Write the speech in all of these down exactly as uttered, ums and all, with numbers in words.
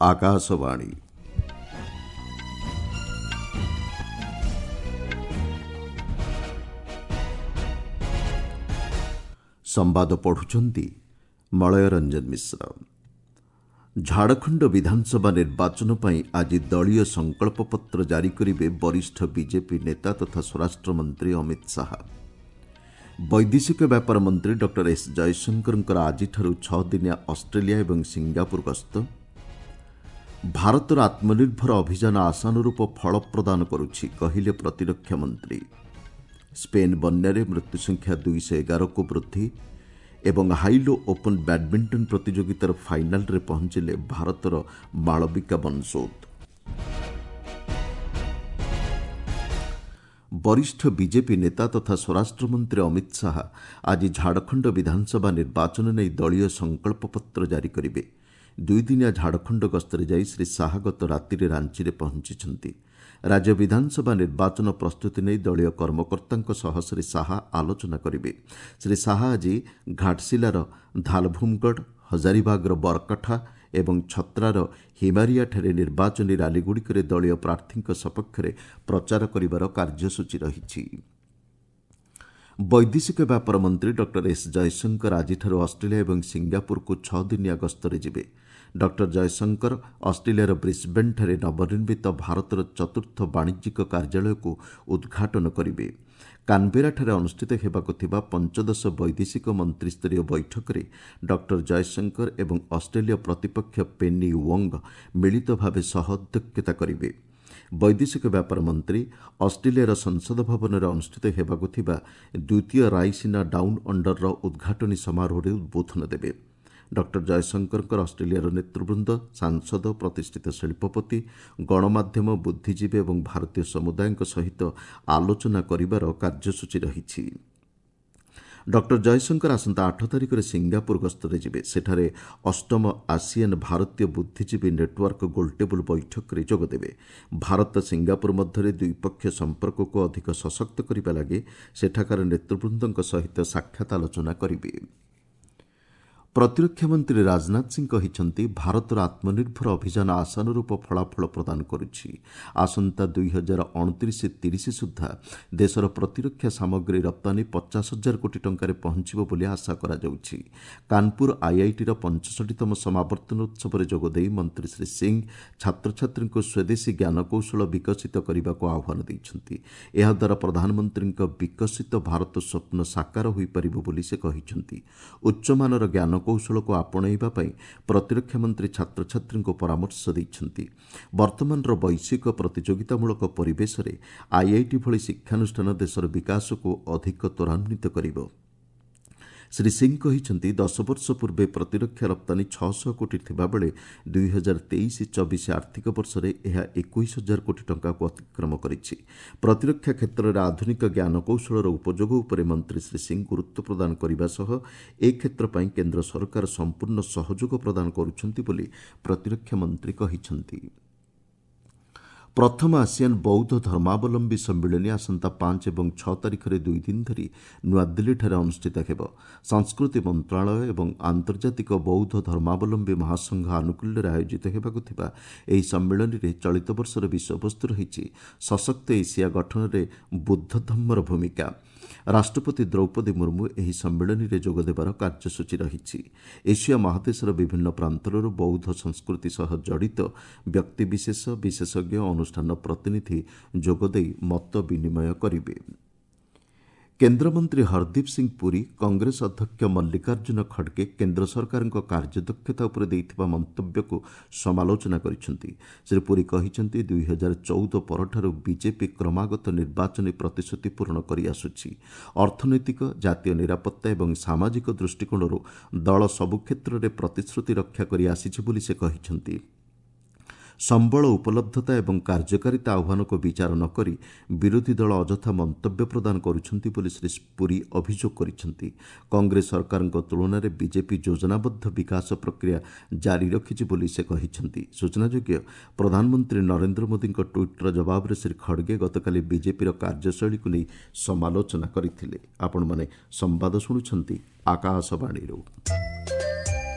ଆକାଶବାଣୀ। ସମ୍ବାଦ ପଢୁଛନ୍ତି ମଳୟ ରଞ୍ଜନ ମିଶ୍ର। ଝାଡ଼ଖଣ୍ଡ ବିଧାନସଭା ନିର୍ବାଚନ ପାଇଁ ଆଜି ଦଳୀୟ ସଂକଳ୍ପପତ୍ର ଜାରି କରିବେ ବରିଷ୍ଠ ବିଜେପି ନେତା ତଥା ସ୍ୱରାଷ୍ଟ୍ରମନ୍ତ୍ରୀ ଅମିତ ଶାହା। ବୈଦେଶିକ ବ୍ୟାପାର ମନ୍ତ୍ରୀ ଡକ୍ଟର ଏସ୍ ଜୟଶଙ୍କରଙ୍କର ଆଜିଠାରୁ ଛଅ ଦିନିଆ ଅଷ୍ଟ୍ରେଲିଆ ଏବଂ ସିଙ୍ଗାପୁର ଗସ୍ତ। ଭାରତର ଆତ୍ମନିର୍ଭର ଅଭିଯାନ ଆଶାନୁରୂପ ଫଳ ପ୍ରଦାନ କରୁଛି, କହିଲେ ପ୍ରତିରକ୍ଷା ମନ୍ତ୍ରୀ। ସ୍ପେନ୍ ବନ୍ୟାରେ ମୃତ୍ୟୁସଂଖ୍ୟା ଦୁଇଶହ ଏଗାରକୁ ବୃଦ୍ଧି ଏବଂ ହାଇଲୋ ଓପନ୍ ବ୍ୟାଡ୍ମିଣ୍ଟନ ପ୍ରତିଯୋଗିତାର ଫାଇନାଲ୍ରେ ପହଞ୍ଚିଲେ ଭାରତର ମାଳବିକା ବନସୋଦ। ବରିଷ୍ଠ ବିଜେପି ନେତା ତଥା ସ୍ୱରାଷ୍ଟ୍ରମନ୍ତ୍ରୀ ଅମିତ ଶାହା ଆଜି ଝାଡ଼ଖଣ୍ଡ ବିଧାନସଭା ନିର୍ବାଚନ ନେଇ ଦଳୀୟ ସଂକଳ୍ପପତ୍ର ଜାରି କରିବେ। ଦୁଇଦିନିଆ ଝାଡ଼ଖଣ୍ଡ ଗସ୍ତରେ ଯାଇ ଶ୍ରୀ ଶାହା ଗତ ରାତିରେ ରାଞ୍ଚିରେ ପହଞ୍ଚିଛନ୍ତି। ରାଜ୍ୟ ବିଧାନସଭା ନିର୍ବାଚନ ପ୍ରସ୍ତୁତି ନେଇ ଦଳୀୟ କର୍ମକର୍ତ୍ତାଙ୍କ ସହ ଶ୍ରୀ ଶାହା ଆଲୋଚନା କରିବେ। ଶ୍ରୀ ଶାହା ଆଜି ଘାଟଶିଲାର ଧାଲଭୁମଗଡ଼, ହଜାରିବାଗର ବରକଠା ଏବଂ ଛତ୍ରାର ହିମାରିଆଠାରେ ନିର୍ବାଚନୀ ରାଲିଗୁଡ଼ିକରେ ଦଳୀୟ ପ୍ରାର୍ଥୀଙ୍କ ସପକ୍ଷରେ ପ୍ରଚାର କରିବାର କାର୍ଯ୍ୟସୂଚୀ ରହିଛି। ବୈଦେଶିକ ବ୍ୟାପାର ମନ୍ତ୍ରୀ ଡକ୍ଟର ଏସ୍ ଜୟଶଙ୍କର ଆଜିଠାରୁ ଅଷ୍ଟ୍ରେଲିଆ ଏବଂ ସିଙ୍ଗାପୁରକୁ ଛଅ ଦିନିଆ ଗସ୍ତରେ ଯିବେ। ଡକ୍ଟର ଜୟଶଙ୍କର ଅଷ୍ଟ୍ରେଲିଆର ବ୍ରିସ୍ବେନ୍ଠାରେ ନବନିର୍ମିତ ଭାରତର ଚତୁର୍ଥ ବାଣିଜ୍ୟିକ କାର୍ଯ୍ୟାଳୟକୁ ଉଦ୍ଘାଟନ କରିବେ। କାନବେରାଠାରେ ଅନୁଷ୍ଠିତ ହେବାକୁ ଥିବା ପଞ୍ଚଦଶ ବୈଦେଶିକ ମନ୍ତ୍ରିସ୍ତରୀୟ ବୈଠକରେ ଡକ୍ଟର ଜୟଶଙ୍କର ଏବଂ ଅଷ୍ଟ୍ରେଲୀୟ ପ୍ରତିପକ୍ଷ ପେନି ୱଙ୍ଗ ମିଳିତ ଭାବେ ସହ ଅଧ୍ୟକ୍ଷତା କରିବେ। ବୈଦେଶିକ ବ୍ୟାପାର ମନ୍ତ୍ରୀ ଅଷ୍ଟ୍ରେଲିଆର ସଂସଦ ଭବନରେ ଅନୁଷ୍ଠିତ ହେବାକୁ ଥିବା ଦ୍ୱିତୀୟ ରାଇସିନା ଡାଉନ୍ ଅଣ୍ଡରର ଉଦ୍ଘାଟନୀ ସମାରୋହରେ ଉଦ୍ବୋଧନ ଦେବେ। ଡକ୍ଟର ଜୟଶଙ୍କରଙ୍କର ଅଷ୍ଟ୍ରେଲିଆର ନେତୃବୃନ୍ଦ, ସାଂସଦ, ପ୍ରତିଷ୍ଠିତ ଶିଳ୍ପପତି, ଗଣମାଧ୍ୟମ, ବୁଦ୍ଧିଜୀବୀ ଏବଂ ଭାରତୀୟ ସମୁଦାୟଙ୍କ ସହିତ ଆଲୋଚନା କରିବାର କାର୍ଯ୍ୟସୂଚୀ ରହିଛି। ଡକ୍ଟର ଜୟଶଙ୍କର ଆସନ୍ତା ଆଠ ତାରିଖରେ ସିଙ୍ଗାପୁର ଗସ୍ତରେ ଯିବେ। ସେଠାରେ ଅଷ୍ଟମ ଆସିଆନ୍ ଭାରତୀୟ ବୁଦ୍ଧିଜୀବୀ ନେଟୱାର୍କ ଗୋଲଟେବୁଲ ବୈଠକରେ ଯୋଗଦେବେ। ଭାରତ ସିଙ୍ଗାପୁର ମଧ୍ୟରେ ଦ୍ୱିପକ୍ଷୀୟ ସମ୍ପର୍କକୁ ଅଧିକ ସଶକ୍ତ କରିବା ଲାଗି ସେଠାକାର ନେତୃବୃନ୍ଦଙ୍କ ସହିତ ସାକ୍ଷାତ ଆଲୋଚନା କରିବେ। ପ୍ରତିରକ୍ଷା ମନ୍ତ୍ରୀ ରାଜନାଥ ସିଂ କହିଛନ୍ତି, ଭାରତର ଆତ୍ମନିର୍ଭର ଅଭିଯାନ ଆଶାନୁରୂପ ଫଳାଫଳ ପ୍ରଦାନ କରୁଛି। ଆସନ୍ତା ଦୁଇ ହଜାର ଅଣତିରିଶ ତିରିଶ ସୁଦ୍ଧା ଦେଶର ପ୍ରତିରକ୍ଷା ସାମଗ୍ରୀ ରପ୍ତାନୀ ପଚାଶ ହଜାର କୋଟି ଟଙ୍କାରେ ପହଞ୍ଚିବ ବୋଲି ଆଶା କରାଯାଉଛି। କାନପୁର ଆଇଆଇଟିର ପଞ୍ଚଷଠିତମ ସମାବର୍ତ୍ତନ ଉତ୍ସବରେ ଯୋଗଦେଇ ମନ୍ତ୍ରୀ ଶ୍ରୀ ସିଂ ଛାତ୍ରଛାତ୍ରୀଙ୍କୁ ସ୍ୱଦେଶୀ ଜ୍ଞାନକୌଶଳ ବିକଶିତ କରିବାକୁ ଆହ୍ୱାନ ଦେଇଛନ୍ତି। ଏହାଦ୍ୱାରା ପ୍ରଧାନମନ୍ତ୍ରୀଙ୍କ ବିକଶିତ ଭାରତ ସ୍ୱପ୍ନ ସାକାର ହୋଇପାରିବ ବୋଲି ସେ କହିଛନ୍ତି। ଉଚ୍ଚମାନର ଜ୍ଞାନ କୌଶଳକୁ ଆପଣେଇବା ପାଇଁ ପ୍ରତିରକ୍ଷା ମନ୍ତ୍ରୀ ଛାତ୍ରଛାତ୍ରୀଙ୍କୁ ପରାମର୍ଶ ଦେଇଛନ୍ତି। ବର୍ତ୍ତମାନର ବୈଶ୍ୱିକ ପ୍ରତିଯୋଗିତାମୂଳକ ପରିବେଶରେ ଆଇଆଇଟି ଭଳି ଶିକ୍ଷାନୁଷ୍ଠାନ ଦେଶର ବିକାଶକୁ ଅଧିକ ତ୍ୱରାନ୍ୱିତ କରିବ। ଶ୍ରୀ ସିଂ କହିଛନ୍ତି, ଦଶ ବର୍ଷ ପୂର୍ବେ ପ୍ରତିରକ୍ଷା ରପ୍ତାନୀ ଛଅଶହ କୋଟି ଥିବାବେଳେ ଦୁଇ ହଜାର ତେଇଶ ଚବିଶ ଆର୍ଥିକ ବର୍ଷରେ ଏହା ଏକୋଇଶ ହଜାର କୋଟି ଟଙ୍କାକୁ ଅତିକ୍ରମ କରିଛି। ପ୍ରତିରକ୍ଷା କ୍ଷେତ୍ରରେ ଆଧୁନିକ ଜ୍ଞାନକୌଶଳର ଉପଯୋଗ ଉପରେ ମନ୍ତ୍ରୀ ଶ୍ରୀ ସିଂ ଗୁରୁତ୍ୱ ପ୍ରଦାନ କରିବା ସହ ଏ କ୍ଷେତ୍ର ପାଇଁ କେନ୍ଦ୍ର ସରକାର ସମ୍ପୂର୍ଣ୍ଣ ସହଯୋଗ ପ୍ରଦାନ କରୁଛନ୍ତି ବୋଲି ପ୍ରତିରକ୍ଷା ମନ୍ତ୍ରୀ କହିଛନ୍ତି। ପ୍ରଥମ ଆସିଆନ୍ ବୌଦ୍ଧ ଧର୍ମାବଲମ୍ବୀ ସମ୍ମିଳନୀ ଆସନ୍ତା ପାଞ୍ଚ ଏବଂ ଛଅ ତାରିଖରେ ଦୁଇ ଦିନ ଧରି ନୂଆଦିଲ୍ଲୀଠାରେ ଅନୁଷ୍ଠିତ ହେବ। ସଂସ୍କୃତି ମନ୍ତ୍ରଣାଳୟ ଏବଂ ଆନ୍ତର୍ଜାତିକ ବୌଦ୍ଧ ଧର୍ମାବଲମ୍ବୀ ମହାସଂଘ ଆନୁକୂଲ୍ୟରେ ଆୟୋଜିତ ହେବାକୁ ଥିବା ଏହି ସମ୍ମିଳନୀରେ ଚଳିତ ବର୍ଷର ବିଷୟବସ୍ତୁ ରହିଛି ସଶକ୍ତ ଏସିଆ ଗଠନରେ ବୁଦ୍ଧ ଧମ୍ମର ଭୂମିକା। ରାଷ୍ଟ୍ରପତି ଦ୍ରୌପଦୀ ମୁର୍ମୁ ଏହି ସମ୍ମିଳନୀରେ ଯୋଗଦେବାର କାର୍ଯ୍ୟସୂଚୀ ରହିଛି। ଏସିଆ ମହାଦେଶର ବିଭିନ୍ନ ପ୍ରାନ୍ତରରୁ ବୌଦ୍ଧ ସଂସ୍କୃତି ସହ ଜଡ଼ିତ ବ୍ୟକ୍ତିବିଶେଷ, ବିଶେଷଜ୍ଞ, ଅନୁଷ୍ଠାନ ପ୍ରତିନିଧି ଯୋଗଦେଇ ମତ ବିନିମୟ କରିବେ। କେନ୍ଦ୍ରମନ୍ତ୍ରୀ ହରଦୀପ ସିଂ ପୁରୀ କଂଗ୍ରେସ ଅଧ୍ୟକ୍ଷ ମଲ୍ଲିକାର୍ଜୁନ ଖଡ଼ଗେ କେନ୍ଦ୍ର ସରକାରଙ୍କ କାର୍ଯ୍ୟଦକ୍ଷତା ଉପରେ ଦେଇଥିବା ମନ୍ତବ୍ୟକୁ ସମାଲୋଚନା କରିଛନ୍ତି। ଶ୍ରୀ ପୁରୀ କହିଛନ୍ତି, ଦୁଇ ହଜାର ଚଉଦ ପରଠାରୁ ବିଜେପି କ୍ରମାଗତ ନିର୍ବାଚନୀ ପ୍ରତିଶ୍ରୁତି ପୂରଣ କରିଆସୁଛି। ଅର୍ଥନୈତିକ, ଜାତୀୟ ନିରାପତ୍ତା ଏବଂ ସାମାଜିକ ଦୃଷ୍ଟିକୋଣରୁ ଦଳ ସବୁ କ୍ଷେତ୍ରରେ ପ୍ରତିଶ୍ରୁତି ରକ୍ଷା କରି ଆସିଛି ବୋଲି ସେ କହିଛନ୍ତି। ସମ୍ବଳ ଉପଲବ୍ଧତା ଏବଂ କାର୍ଯ୍ୟକାରିତା ଆହ୍ୱାନକୁ ବିଚାର ନ କରି ବିରୋଧୀ ଦଳ ଅଯଥା ମନ୍ତବ୍ୟ ପ୍ରଦାନ କରୁଛନ୍ତି ବୋଲି ଶ୍ରୀ ପୁରୀ ଅଭିଯୋଗ କରିଛନ୍ତି। କଂଗ୍ରେସ ସରକାରଙ୍କ ତୁଳନାରେ ବିଜେପି ଯୋଜନାବଦ୍ଧ ବିକାଶ ପ୍ରକ୍ରିୟା ଜାରି ରଖିଛି ବୋଲି ସେ କହିଛନ୍ତି। ସୂଚନାଯୋଗ୍ୟ, ପ୍ରଧାନମନ୍ତ୍ରୀ ନରେନ୍ଦ୍ର ମୋଦିଙ୍କ ଟ୍ୱିଟ୍ର ଜବାବରେ ଶ୍ରୀ ଖଡ଼ଗେ ଗତକାଲି ବିଜେପିର କାର୍ଯ୍ୟଶୈଳୀକୁ ନେଇ ସମାଲୋଚନା କରିଥିଲେ। ଆପଣମାନେ ସମ୍ବାଦ ଶୁଣୁଛନ୍ତି ଆକାଶବାଣୀରୁ।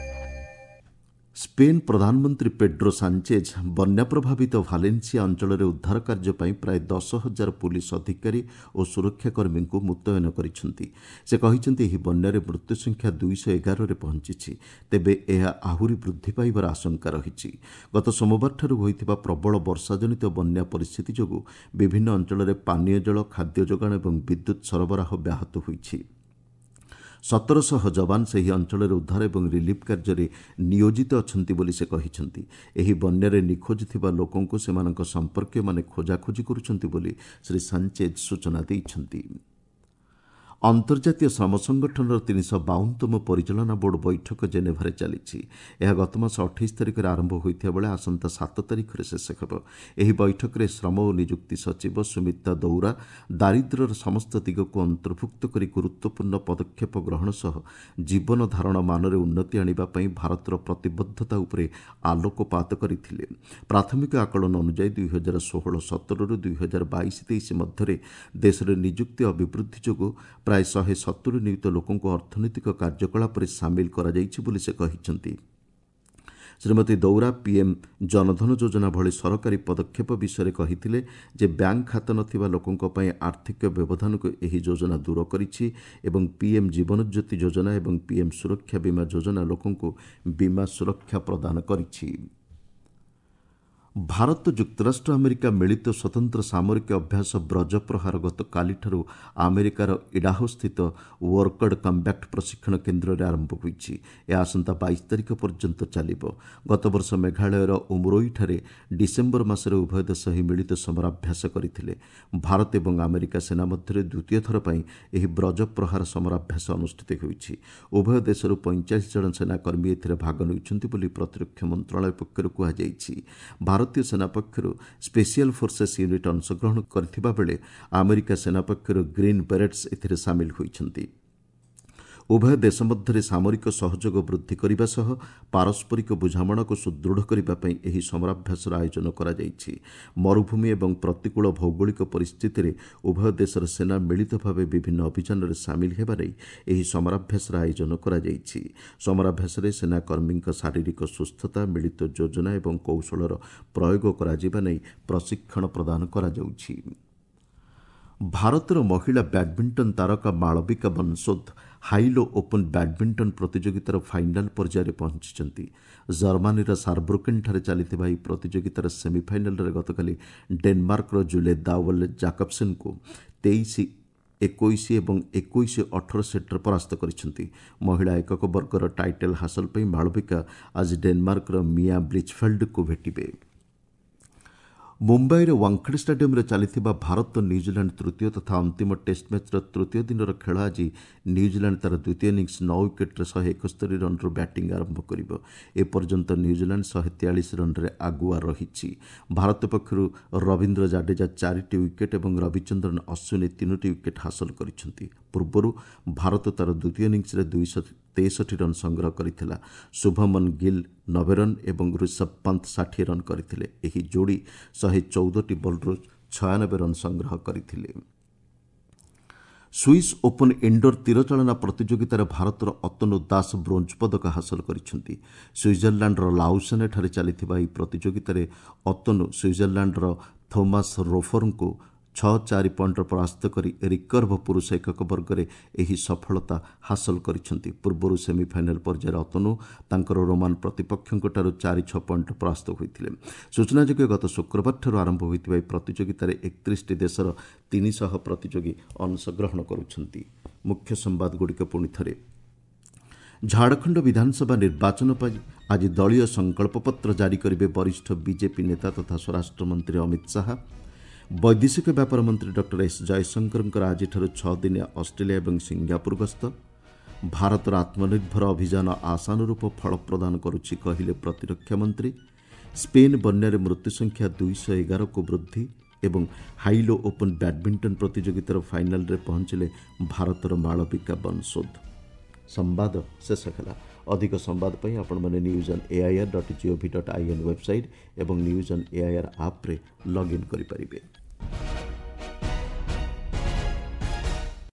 ସ୍ପେନ୍ ପ୍ରଧାନମନ୍ତ୍ରୀ ପେଡ୍ରୋ ସାଞ୍ଚେଜ୍ ବନ୍ୟା ପ୍ରଭାବିତ ଭାଲେନ୍ସିଆ ଅଞ୍ଚଳରେ ଉଦ୍ଧାର କାର୍ଯ୍ୟ ପାଇଁ ପ୍ରାୟ ଦଶ ହଜାର ପୁଲିସ୍ ଅଧିକାରୀ ଓ ସୁରକ୍ଷାକର୍ମୀଙ୍କୁ ମୁତୟନ କରିଛନ୍ତି। ସେ କହିଛନ୍ତି, ଏହି ବନ୍ୟାରେ ମୃତ୍ୟୁ ସଂଖ୍ୟା ଦୁଇଶହ ଏଗାରରେ ପହଞ୍ଚିଛି। ତେବେ ଏହା ଆହୁରି ବୃଦ୍ଧି ପାଇବାର ଆଶଙ୍କା ରହିଛି। ଗତ ସୋମବାରଠାରୁ ହୋଇଥିବା ପ୍ରବଳ ବର୍ଷାଜନିତ ବନ୍ୟା ପରିସ୍ଥିତି ଯୋଗୁଁ ବିଭିନ୍ନ ଅଞ୍ଚଳରେ ପାନୀୟ ଜଳ, ଖାଦ୍ୟ ଯୋଗାଣ ଏବଂ ବିଦ୍ୟୁତ୍ ସରବରାହ ବ୍ୟାହତ ହୋଇଛି। ସତରଶହ ଯବାନ ସେହି ଅଞ୍ଚଳରେ ଉଦ୍ଧାର ଏବଂ ରିଲିଫ୍ କାର୍ଯ୍ୟରେ ନିୟୋଜିତ ଅଛନ୍ତି ବୋଲି ସେ କହିଛନ୍ତି। ଏହି ବନ୍ୟାରେ ନିଖୋଜ ଥିବା ଲୋକଙ୍କୁ ସେମାନଙ୍କ ସମ୍ପର୍କୀୟମାନେ ଖୋଜାଖୋଜି କରୁଛନ୍ତି ବୋଲି ଶ୍ରୀ ସାଞ୍ଚେଜ୍ ସୂଚନା ଦେଇଛନ୍ତି। ଅନ୍ତର୍ଜାତୀୟ ଶ୍ରମ ସଂଗଠନର ତିନିଶହ ବାଉନତମ ପରିଚାଳନା ବୋର୍ଡ ବୈଠକ ଜେନେଭାରେ ଚାଲିଛି। ଏହା ଗତମାସ ଅଠେଇଶ ତାରିଖରେ ଆରମ୍ଭ ହୋଇଥିବା ବେଳେ ଆସନ୍ତା ସାତ ତାରିଖରେ ଶେଷ ହେବ। ଏହି ବୈଠକରେ ଶ୍ରମ ଓ ନିଯୁକ୍ତି ସଚିବ ସୁମିତା ଦୌରା ଦାରିଦ୍ର୍ୟର ସମସ୍ତ ଦିଗକୁ ଅନ୍ତର୍ଭୁକ୍ତ କରି ଗୁରୁତ୍ୱପୂର୍ଣ୍ଣ ପଦକ୍ଷେପ ଗ୍ରହଣ ସହ ଜୀବନ ଧାରଣ ମାନରେ ଉନ୍ନତି ଆଣିବା ପାଇଁ ଭାରତର ପ୍ରତିବଦ୍ଧତା ଉପରେ ଆଲୋକପାତ କରିଥିଲେ। ପ୍ରାଥମିକ ଆକଳନ ଅନୁଯାୟୀ ଦୁଇ ହଜାର ଷୋହଳ ସତରରୁ ଦୁଇ ହଜାର ବାଇଶ ତେଇଶ ମଧ୍ୟରେ ଦେଶରେ ନିଯୁକ୍ତି ଅଭିବୃଦ୍ଧି ଯୋଗୁଁ ପ୍ରାୟ ଶହେ ସତୁରି ନିୟୁତ ଲୋକଙ୍କୁ ଅର୍ଥନୈତିକ କାର୍ଯ୍ୟକଳାପରେ ସାମିଲ କରାଯାଇଛି ବୋଲି ସେ କହିଛନ୍ତି। ଶ୍ରୀମତୀ ଦୌରା ପିଏମ୍ ଜନଧନ ଯୋଜନା ଭଳି ସରକାରୀ ପଦକ୍ଷେପ ବିଷୟରେ କହିଥିଲେ ଯେ ବ୍ୟାଙ୍କ ଖାତା ନଥିବା ଲୋକଙ୍କ ପାଇଁ ଆର୍ଥିକ ବ୍ୟବଧାନକୁ ଏହି ଯୋଜନା ଦୂର କରିଛି ଏବଂ ପିଏମ୍ ଜୀବନଜ୍ୟୋତି ଯୋଜନା ଏବଂ ପିଏମ୍ ସୁରକ୍ଷା ବୀମା ଯୋଜନା ଲୋକଙ୍କୁ ବୀମା ସୁରକ୍ଷା ପ୍ରଦାନ କରିଛି। ଭାରତ ଯୁକ୍ତରାଷ୍ଟ୍ର ଆମେରିକା ମିଳିତ ସ୍ୱତନ୍ତ୍ର ସାମରିକ ଅଭ୍ୟାସ ବ୍ରଜ ପ୍ରହାର ଗତକାଲିଠାରୁ ଆମେରିକାର ଇଡାହୋସ୍ଥିତ ୱର୍କଡ୍ କମ୍ବାକ୍ଟ ପ୍ରଶିକ୍ଷଣ କେନ୍ଦ୍ରରେ ଆରମ୍ଭ ହୋଇଛି। ଏହା ଆସନ୍ତା ବାଇଶ ତାରିଖ ପର୍ଯ୍ୟନ୍ତ ଚାଲିବ। ଗତବର୍ଷ ମେଘାଳୟର ଉମରୋଇଠାରେ ଡିସେମ୍ବର ମାସରେ ଉଭୟ ଦେଶ ଏହି ମିଳିତ ସମରାଭ୍ୟାସ କରିଥିଲେ। ଭାରତ ଏବଂ ଆମେରିକା ସେନା ମଧ୍ୟରେ ଦ୍ୱିତୀୟ ଥର ପାଇଁ ଏହି ବ୍ରଜ ପ୍ରହାର ସମରାଭ୍ୟାସ ଅନୁଷ୍ଠିତ ହୋଇଛି। ଉଭୟ ଦେଶରୁ ପଇଁଚାଳିଶ ଜଣ ସେନାକର୍ମୀ ଏଥିରେ ଭାଗ ନେଉଛନ୍ତି ବୋଲି ପ୍ରତିରକ୍ଷା ମନ୍ତ୍ରଣାଳୟ ପକ୍ଷରୁ କୁହାଯାଇଛି। ଭାରତୀୟ ସେନା ପକ୍ଷରୁ ସ୍ପେଶିଆଲ ଫୋର୍ସେସ୍ ୟୁନିଟ୍ ଅଂଶଗ୍ରହଣ କରିଥିବା ବେଳେ ଆମେରିକା ସେନା ପକ୍ଷରୁ ଗ୍ରୀନ୍ ବେରେଟ୍ସ ଏଥିରେ ସାମିଲ ହୋଇଛନ୍ତି। ଉଭୟ ଦେଶ ମଧ୍ୟରେ ସାମରିକ ସହଯୋଗ ବୃଦ୍ଧି କରିବା ସହ ପାରସ୍ପରିକ ବୁଝାମଣାକୁ ସୁଦୃଢ଼ କରିବା ପାଇଁ ଏହି ସମରାଭ୍ୟାସର ଆୟୋଜନ କରାଯାଇଛି। ମରୁଭୂମି ଏବଂ ପ୍ରତିକୂଳ ଭୌଗୋଳିକ ପରିସ୍ଥିତିରେ ଉଭୟ ଦେଶର ସେନା ମିଳିତ ଭାବେ ବିଭିନ୍ନ ଅଭିଯାନରେ ସାମିଲ ହେବା ନେଇ ଏହି ସମରାଭ୍ୟାସର ଆୟୋଜନ କରାଯାଇଛି। ସମରାଭ୍ୟାସରେ ସେନାକର୍ମୀଙ୍କ ଶାରୀରିକ ସୁସ୍ଥତା, ମିଳିତ ଯୋଜନା ଏବଂ କୌଶଳର ପ୍ରୟୋଗ କରାଯିବା ନେଇ ପ୍ରଶିକ୍ଷଣ ପ୍ରଦାନ କରାଯାଉଛି। ଭାରତର ମହିଳା ବ୍ୟାଡମିଣ୍ଟନ ତାରକା ମାଳବିକା ବନସୋଦ ହାଇଲୋ ଓପନ୍ ବ୍ୟାଡମିଣ୍ଟନ ପ୍ରତିଯୋଗିତାର ଫାଇନାଲ ପର୍ଯ୍ୟାୟରେ ପହଞ୍ଚିଛନ୍ତି। ଜର୍ମାନୀର ସାରବ୍ରୁକେନ୍ଠାରେ ଚାଲିଥିବା ଏହି ପ୍ରତିଯୋଗିତାର ସେମିଫାଇନାଲରେ ଗତକାଲି ଡେନମାର୍କର ଜୁଲେ ଦାୱଲ ଜାକବସେନ୍ଙ୍କୁ ତେଇଶ ଏକୋଇଶ ଏବଂ ଏକୋଇଶ ଅଠର ସେଟ୍ରେ ପରାସ୍ତ କରିଛନ୍ତି। ମହିଳା ଏକକ ବର୍ଗର ଟାଇଟଲ୍ ହାସଲ ପାଇଁ ମାଳବିକା ଆଜି ଡେନମାର୍କର ମିଆ ବ୍ଲିଚଫେଲ୍ଡଙ୍କୁ ଭେଟିବେ। ମୁମ୍ବାଇର ୱାଙ୍ଗଖେଡେ ଷ୍ଟାଡିୟମ୍ରେ ଚାଲିଥିବା ଭାରତ ନ୍ୟୁଜିଲାଣ୍ଡ ତୃତୀୟ ତଥା ଅନ୍ତିମ ଟେଷ୍ଟ ମ୍ୟାଚ୍ର ତୃତୀୟ ଦିନର ଖେଳ ଆଜି ନ୍ୟୁଜିଲାଣ୍ଡ ତା'ର ଦ୍ୱିତୀୟ ଇନିଂସ ନଅ ୱିକେଟ୍ରେ ଶହେ ଏକସ୍ତରୀ ରନ୍ରୁ ବ୍ୟାଟିଂ ଆରମ୍ଭ କରିବ। ଏପର୍ଯ୍ୟନ୍ତ ନ୍ୟୁଜିଲାଣ୍ଡ ଶହେ ତେୟାଳିଶ ରନ୍ରେ ଆଗୁଆ ରହିଛି। ଭାରତ ପକ୍ଷରୁ ରବୀନ୍ଦ୍ର ଜାଡେଜା ଚାରିଟି ୱିକେଟ୍ ଏବଂ ରବିଚନ୍ଦ୍ରନ ଅଶ୍ୱିନୀ ତିନୋଟି ୱିକେଟ୍ ହାସଲ କରିଛନ୍ତି। ପୂର୍ବରୁ ଭାରତ ତା'ର ଦ୍ୱିତୀୟ ଇନିଂସରେ ଦୁଇଶହ ତେଷଠି ରନ୍ ସଂଗ୍ରହ କରିଥିଲା। ଶୁଭମନ ଗିଲ୍ ନବେ ରନ୍ ଏବଂ ଋଷଭ ପନ୍ତ ଷାଠିଏ ରନ୍ କରିଥିଲେ। ଏହି ଯୋଡ଼ି ଶହେ ଚଉଦଟି ବଲ୍ରୁ ଛୟାନବେ ରନ୍ ସଂଗ୍ରହ କରିଥିଲେ। ସୁଇସ୍ ଓପନ୍ ଇଣ୍ଡୋର ତୀରଚାଳନା ପ୍ରତିଯୋଗିତାରେ ଭାରତର ଅତନୁ ଦାସ ବ୍ରୋଞ୍ଜ ପଦକ ହାସଲ କରିଛନ୍ତି। ସୁଇଜରଲ୍ୟାଣ୍ଡର ଲାଉସେନେଠାରେ ଚାଲିଥିବା ଏହି ପ୍ରତିଯୋଗିତାରେ ଅତନୁ ସୁଇଜରଲ୍ୟାଣ୍ଡର ଥୋମାସ୍ ରୋଫରଙ୍କୁ ଛଅ ଚାରି ପଏଣ୍ଟରେ ପରାସ୍ତ କରି ରିକର୍ଭ ପୁରୁଷ ଏକକ ବର୍ଗରେ ଏହି ସଫଳତା ହାସଲ କରିଛନ୍ତି। ପୂର୍ବରୁ ସେମିଫାଇନାଲ ପର୍ଯ୍ୟାୟରେ ଅତନୁ ତାଙ୍କର ରୋମାନ ପ୍ରତିପକ୍ଷଙ୍କଠାରୁ ଚାରି ଛଅ ପଏଣ୍ଟରେ ପରାସ୍ତ ହୋଇଥିଲେ। ସୂଚନାଯୋଗ୍ୟ, ଗତ ଶୁକ୍ରବାରଠାରୁ ଆରମ୍ଭ ହୋଇଥିବା ଏହି ପ୍ରତିଯୋଗିତାରେ ଏକତିରିଶଟି ଦେଶର ତିନିଶହ ପ୍ରତିଯୋଗୀ ଅଂଶଗ୍ରହଣ କରୁଛନ୍ତି। ମୁଖ୍ୟ ସମ୍ବାଦଗୁଡ଼ିକ ପୁଣି ଥରେ। ଝାଡ଼ଖଣ୍ଡ ବିଧାନସଭା ନିର୍ବାଚନ ପାଇଁ ଆଜି ଦଳୀୟ ସଂକଳ୍ପପତ୍ର ଜାରି କରିବେ ବରିଷ୍ଠ ବିଜେପି ନେତା ତଥା ସ୍ୱରାଷ୍ଟ୍ରମନ୍ତ୍ରୀ ଅମିତ ଶାହା। ବୈଦେଶିକ ବ୍ୟାପାର ମନ୍ତ୍ରୀ ଡକ୍ଟର ଏସ୍ ଜୟଶଙ୍କରଙ୍କର ଆଜିଠାରୁ ଛଅ ଦିନିଆ ଅଷ୍ଟ୍ରେଲିଆ ଏବଂ ସିଙ୍ଗାପୁର ଗସ୍ତ। ଭାରତର ଆତ୍ମନିର୍ଭର ଅଭିଯାନ ଆଶାନୁରୂପ ଫଳ ପ୍ରଦାନ କରୁଛି କହିଲେ ପ୍ରତିରକ୍ଷା ମନ୍ତ୍ରୀ। ସ୍ପେନ୍ ବନ୍ୟାରେ ମୃତ୍ୟୁ ସଂଖ୍ୟା ଦୁଇଶହ ଏଗାରକୁ ବୃଦ୍ଧି ଏବଂ ହାଇଲୋ ଓପନ୍ ବ୍ୟାଡମିଣ୍ଟନ ପ୍ରତିଯୋଗିତାର ଫାଇନାଲରେ ପହଞ୍ଚିଲେ ଭାରତର ମାଳବିକା ବନସୋଦ। ସମ୍ବାଦ ଶେଷ ହେଲା। ଅଧିକ ସମ୍ବାଦ ପାଇଁ ଆପଣମାନେ news on AIR dot GOV dot IN website ଏବଂ ନ୍ୟୁଜ୍ ଅନ୍ ଏଆଇଆର୍ ଆପ୍ରେ ଲଗ୍ଇନ୍ କରିପାରିବେ।